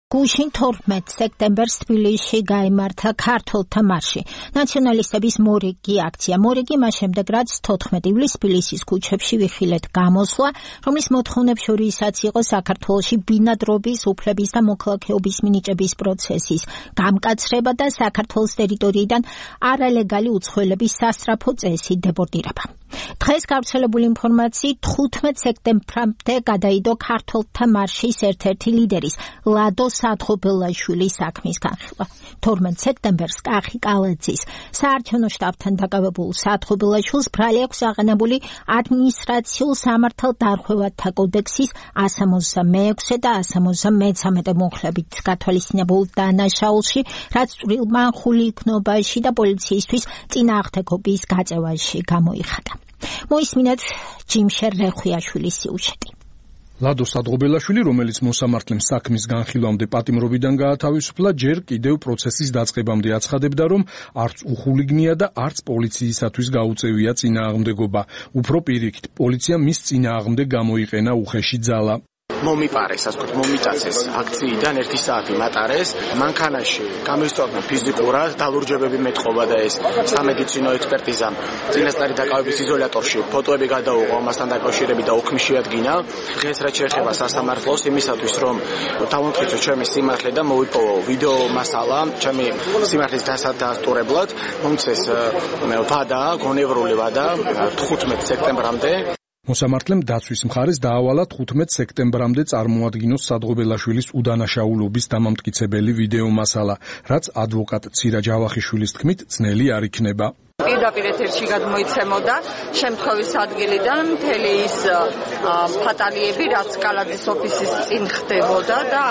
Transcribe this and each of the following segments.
გუშინ 12 სექტემბერს თბილისში გაიმართა ქართველთა მარში. ნაციონალისტების მორიგი აქცია. მორიგი მას შემდეგ, რაც 14 ივლისს თბილისის ქუჩებში ვიხილეთ გამოსვლა, რომლის მოთხოვნებს შორისაც იყო საქართველოში ბინადრობის, უფლების და მოქალაქეობის მინიჭების პროცესის გამკაცრება და საქართველოს ტერიტორიიდან არალეგალი უცხოელების სასწრაფო წესით დებორტირება. დღეს გავრცელებული ინფორმაციით 15 სექტემბრამდე გადაიდო ქართველთა მარშის ერთ-ერთი ლიდერის ლადო სადღობელაშვილის საქმის განხილვა. 12 სექტემბერს კახი კალაძის საარჩევნო შტაბთან დაკავებულ სადღობელაშვილს ბრალი აქვს აღანებული ადმინისტრაციულ სამართალ დარღვევათა კოდექსის 166 და 173 მუხლებით გათვალისწინებულ დანაშაულში, რაც წვრილმანხული იქნობაში და პოლიციისთვის წინააღმდეგობის გაწევაში გამოიხადა. მოისმინეთ ჯიმშერ რეხვიაშვილის სიუჟეტი. ლადო სადღობელაშვილი, რომელიც მოსამართლემ საქმის განხილვამდე პატიმრობიდან გაათავისუფლა, ჯერ კიდევ პროცესის დაწყებამდე აცხადებდა, რომ არც უხულიგნია და არც პოლიციისათვის გაუწევია წინააღმდეგობა. უფრო პირიქით, პოლიციამ მის წინააღმდეგ გამოიყენა უხეში ძალა. მომიპარეს, ასე ვთქვათ, მომიწაცეს აქციიდან 1 საათი მატარეს. მანქანაში გამოსწორდნენ ფიზიკურად, დალურჯებები მეტყობა და ეს სამედიცინო ექსპერტიზამ წინასწარი დაკავების იზოლატორში ფოტოები გადაუღო, ამასთან დაკავშირებით და ოქმი შეადგინა. დღეს რაც შეეხება სასამართლოს, იმისათვის რომ დავამტკიცო ჩემი სიმართლე და მოვიპოვო ვიდეო მასალა ჩემი სიმართლის დასტურებლად, მომცეს ვადა, გონევრული ვადა 15 სექტემბრამდე. მოსამართლემ დაცვის მხარეს დაავალა 15 სექტემბრამდე წარმოადგინოს სადღობელაშვილის უდანაშაულობის დამამტკიცებელი ვიდეო მასალა, რაც ადვოკატ ცირა ჯავახიშვილის თქმით ძნელი არ იქნება. პირდაპირ ეთერში გადმოიცემოდა შემთხვევის ადგილიდან მთელი ის ფატალიები, რაც კალაძის ოფისის წინ ხდებოდა და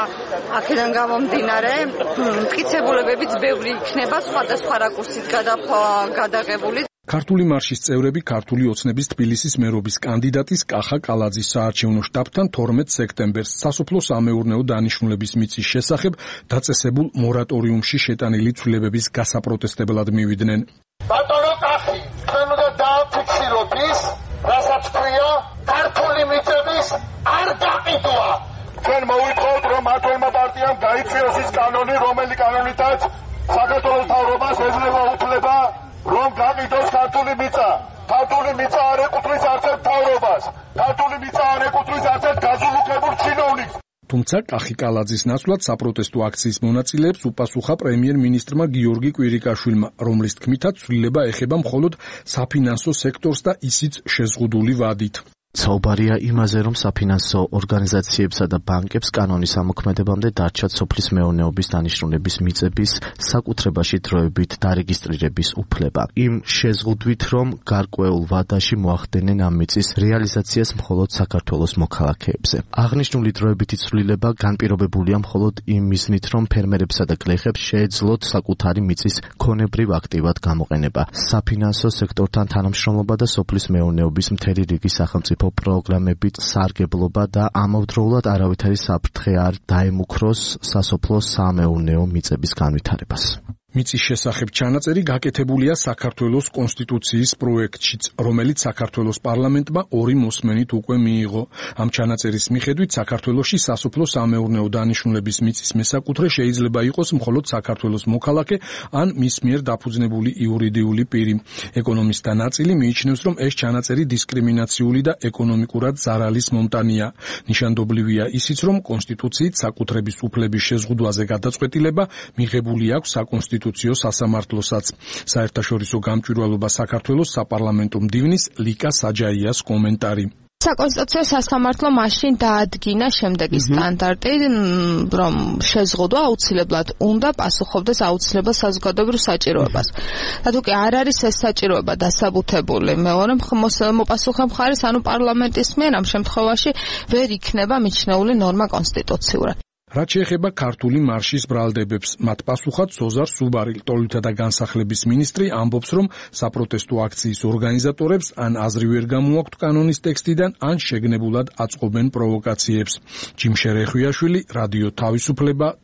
აქედან გამომდინარე მტკიცებულებებიც ბევრი იქნება სხვადასხვა რაკურსით გადაღებული. ქართული მარშის წევრები ქართული ოცნების თბილისის მერობის კანდიდატის კახა კალაძის საარჩევნო შტაბთან 12 სექტემბერს სასოფლო-სამეურნეო დანიშნულების მიწის შესახებ დაწესებულ მორატორიუმში შეტანილი ცვლილებების გასაპროტესტებლად მივიდნენ. ბატონო კახი, ჩვენ უნდა დააფიქსიროთ ის, რასაც ქვია ქართული მიწების არ გაყიდვა. ჩვენ მოვიტყოთ, რომ მართლმა პარტიამ გაიწვიოს ის კანონი, რომელი კანონითაც საქართველოს მთავრობას ეძლევა უფლება რომ გაყიდოს ქართული მიწა. ქართული მიწა არ ეკუთვნის არცერთ მთავრობას. ქართული მიწა არ ეკუთვნის არცერთ გაზულუქებულ ჩინოვნიკს. თუმცა კახი კალაძის ნაცვლად საპროტესტო აქციის მონაწილეებს უპასუხა პრემიერ-მინისტრმა გიორგი კვირიკაშვილმა, რომლის თქმითაც ცვლილება ეხება მხოლოდ საფინანსო სექტორს და ისიც შეზღუდული ვადით. საუბარია იმაზე, რომ საფინანსო ორგანიზაციებსა და ბანკებს კანონის ამოქმედებამდე დარჩათ სოფლის მეურნეობის დანიშნულების მიწების საკუთრებაში დროებით დარეგისტრირების უფლება. იმ შეზღუდვით, რომ გარკვეულ ვადაში მოახდენენ ამ მიწის რეალიზაციას მხოლოდ საქართველოს მოქალაქეებზე. აღნიშნული დროებითი ცვლილება განპირობებულია მხოლოდ იმ მიზნით, რომ ფერმერებსა და გლეხებს შეეძლოთ საკუთარი მიწის ქონებრივ აქტივად გამოყენება. საფინანსო სექტორთან თანამშრომლობა და სოფლის მეურნეობის მთელი რიგი სახელმწიფო პროგრამებით სარგებლობა და ამავდროულად არავითარი საფრთხე არ დაემუქროს სასოფლო-სამეურნეო მიწების განვითარებას. მიწის შესახებ ჩანაწერი გაკეთებულია საქართველოს კონსტიტუციის პროექტშიც, რომელიც საქართველოს პარლამენტმა 2 მოსმენით უკვე მიიღო. ამ ჩანაწერის მიხედვით საქართველოში სასოფლო-სამეურნეო დანიშნულების მიწის მესაკუთრე შეიძლება იყოს მხოლოდ საქართველოს მოქალაქე ან მის მიერ დაფუძნებული იურიდიული პირი. ეკონომისტთა ნაწილი მიიჩნევს, რომ ეს ჩანაწერი დისკრიმინაციული და ეკონომიკურად ზარალის მომტანია. ნიშანდობლივია ისიც, რომ კონსტიტუციით საკუთრების უფლების შეზღუდვაზე გადაწყვეტილება მიღებული აქვს საკონსტიტუციო სასამართლოსაც. საერთაშორისო გამჭვირვალობა საქართველოს საპარლამენტო მდივნის ლიკა საჯაიას კომენტარი. საკონსტიტუციო სასამართლო მაშინ დაადგინა შემდეგი სტანდარტი, რომ შეზღუდვა აუცილებლად უნდა პასუხობდეს აუცილებელ საზოგადოებრივ საჭიროებას. და თუ კი არ არის ეს საჭიროება დასაბუთებული მეორე მოპასუხე მხარის, ანუ პარლამენტის მიერ, ამ შემთხვევაში ვერ იქნება მიჩნეული ნორმა კონსტიტუციურად. რაც შეეხება ქართული მარშის ბრალდებებს, მათ პასუხად სოზარ სუბარი, ლტოლვილთა და განსახლების მინისტრი, ამბობს, რომ საპროტესტო აქციის ორგანიზატორებს ან აზრი ვერ გამოაქვთ კანონის ტექსტიდან, ან შეგნებულად აწყობენ პროვოკაციებს. ჯიმშერ რეხვიაშვილი, რადიო თავისუფლება,